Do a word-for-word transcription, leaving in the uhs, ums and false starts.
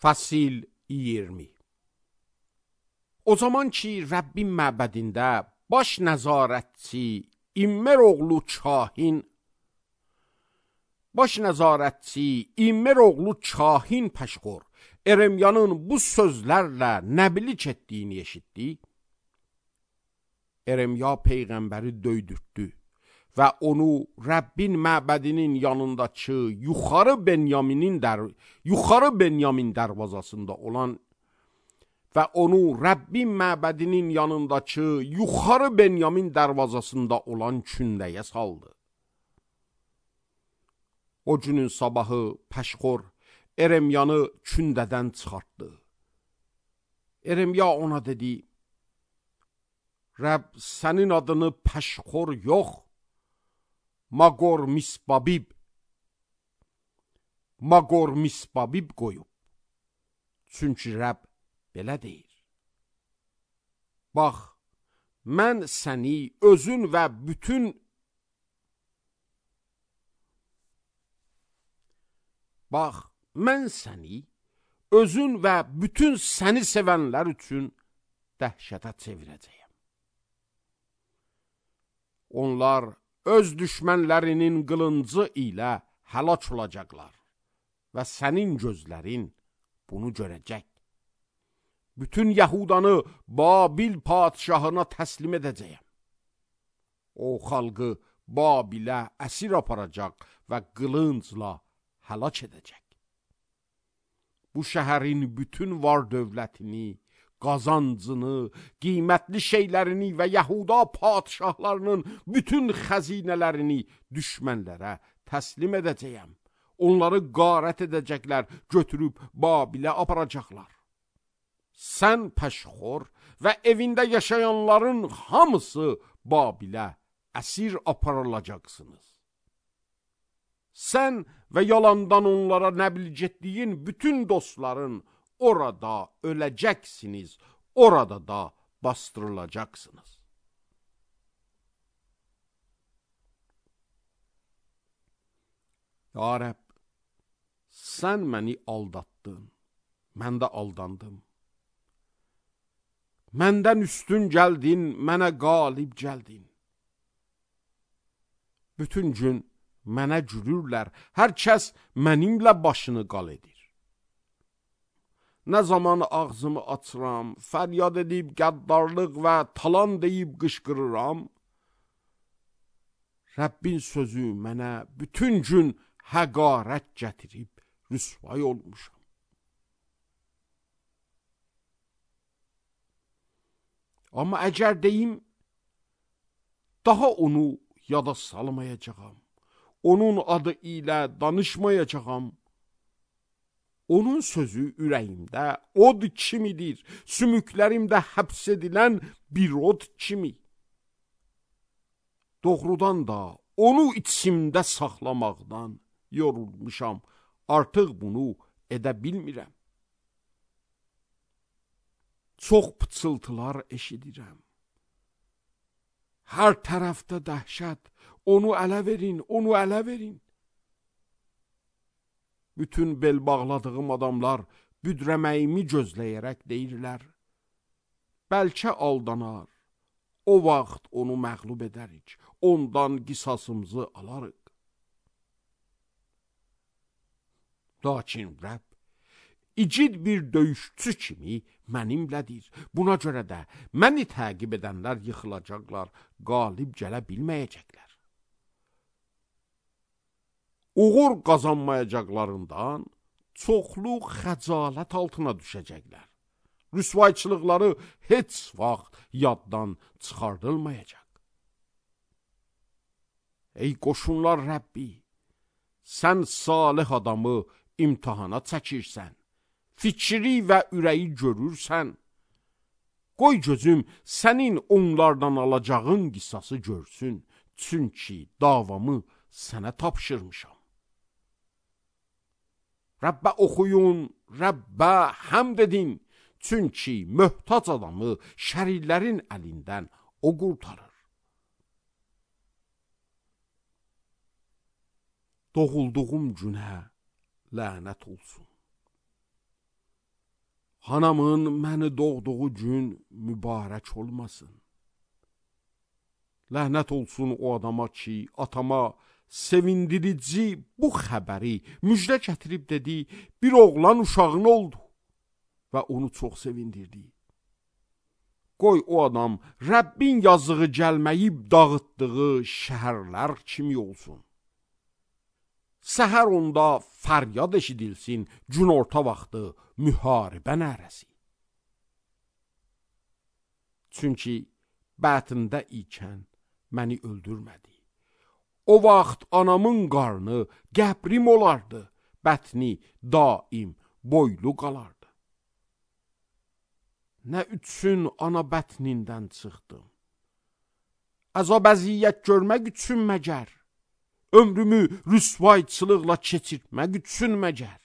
Fasil iyirmi. O zaman ki Rəbbin məbədində baş nəzarətçi İmmer oğlu Kahin baş nəzarətçi İmmer oğlu Kahin Pəşxor Eremyanın bu sözlərlə nəbilik etdiyini eşitdi. Eremya peyğəmbəri döydürtdü və onu Rəbbin məbədinin yanındakı yuxarı Benyaminin dər yuxarı Benyamin darvazasında olan və onu Rəbbin məbədinin yanındakı yuxarı Benyamin darvazasında olan kündəyə saldı. O günün sabahı Pəşxor Eremyanı kündədən çıxartdı. Eremya ona dedi: Rəbb sənin adını Pəşxor yox, Magor Misbabib Magor Misbabib qoyub. Çünki Rəbb belə deyir: Bax, mən səni özün və bütün Bax, mən səni özün və bütün səni sevənlər üçün dəhşətə çevirəcəyəm. Onlar öz düşmənlərinin qılıncı ilə həlak olacaqlar və sənin gözlərin bunu görəcək. Bütün Yahudanı Babil padişahına təslim edəcəyəm. O xalqı Babilə əsir aparacaq və qılıncla həlak edəcək. Bu şəhərin bütün var dövlətini, qazancını, qiymətli şeylərini və Yahuda padişahlarının bütün xəzinələrini düşmənlərə təslim edəcəyəm. Onları qarət edəcəklər, götürüb Babilə aparacaqlar. Sən Pəşxor və evində yaşayanların hamısı Babilə əsir aparılacaqsınız. Sən və yalandan onlara nəblic etdiyin bütün dostların orada öləcəksiniz, orada da bastırılacaqsınız. Ya Rəbb, sən məni aldatdın, mən də aldandım. Məndən üstün gəldin, mənə qalib gəldin. Bütün gün mənə gülürlər, hər kəs mənimlə başını qal edir. Nə zaman ağzımı açıram, fəryad edib qəddarlıq və talan deyib qışqırıram, Rəbbin sözü mənə bütün gün həqarət gətirib rüsvay olmuşam. Amma əgər deyim, daha onu yada salmayacağam, onun adı ilə danışmayacağam, onun sözü ürəyimdə od kimidir, sümüklərimdə həbs edilən bir od kimi. Doğrudan da onu içimdə saxlamaqdan yorulmuşam, artıq bunu edə bilmirəm. Çox pıçıltılar eşidirəm. Hər tərəfdə dəhşət, onu ələ verin, onu ələ verin. Bütün bel bağladığım adamlar büdrəməyimi gözləyərək deyirlər: Bəlkə aldanar, o vaxt onu məğlub edərik, ondan qisasımızı alarıq. Lakin Rəbb İcid bir döyüşçü kimi mənimlədir. Buna görə də məni təqib edənlər yıxılacaqlar, qalib gələ bilməyəcəklər. Uğur qazanmayacaqlarından çoxlu xəcalət altına düşəcəklər. Rüsvayçılıqları heç vaxt yaddan çıxardılmayacaq. Ey qoşunlar Rəbbi, sən salih adamı imtihana çəkirsən. Fikri və ürəyi görürsən. Qoy gözüm sənin onlardan alacağın qisası görsün, çünki davamı sənə tapşırmışam. Rəbbə oxuyun, Rəbbə həmd edin, çünki möhtac adamı şərirlərin əlindən o qurtarır. Doğulduğum günə lənət olsun. Hanamın məni doğduğu gün mübarək olmasın. Ləhnət olsun o adama ki, atama sevindirici bu xəbəri müjdə gətirib dedi, bir oğlan uşağın oldu və onu çox sevindirdi. Qoy o adam Rəbbin yazığı gəlməyib dağıtdığı şəhərlər kimi olsun. Səhər onda fəryad eşidilsin, günorta vaxtı müharibə nərəsi. Çünki bətində ikən məni öldürmədi. O vaxt anamın qarnı qəbrim olardı, bətni daim boylu qalardı. Nə üçün ana bətnindən çıxdım? Əzab əziyyət görmək üçün məgər? Ömrümü rüsvayçılıqla keçirtmək üçün məgər?